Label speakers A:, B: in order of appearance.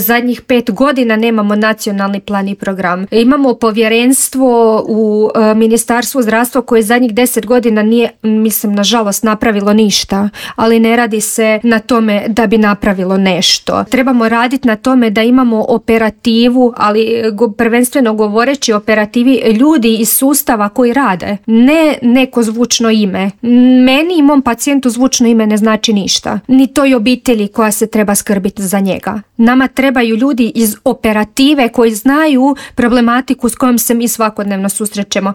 A: Zadnjih 5 godina nemamo nacionalni plan i program. Imamo povjerenstvo u Ministarstvu zdravstva koje zadnjih 10 godina nije, mislim, nažalost napravilo ništa, ali ne radi se na tome da bi napravilo nešto. Trebamo raditi na tome da imamo operativu, ali prvenstveno govoreći o operativi ljudi iz sustava koji rade. Ne neko zvučno ime. Meni i mom pacijentu zvučno ime ne znači ništa. Ni toj obitelji koja se treba skrbiti za njega. Nama trebaju ljudi iz operative koji znaju problematiku s kojom se mi svakodnevno susrećemo.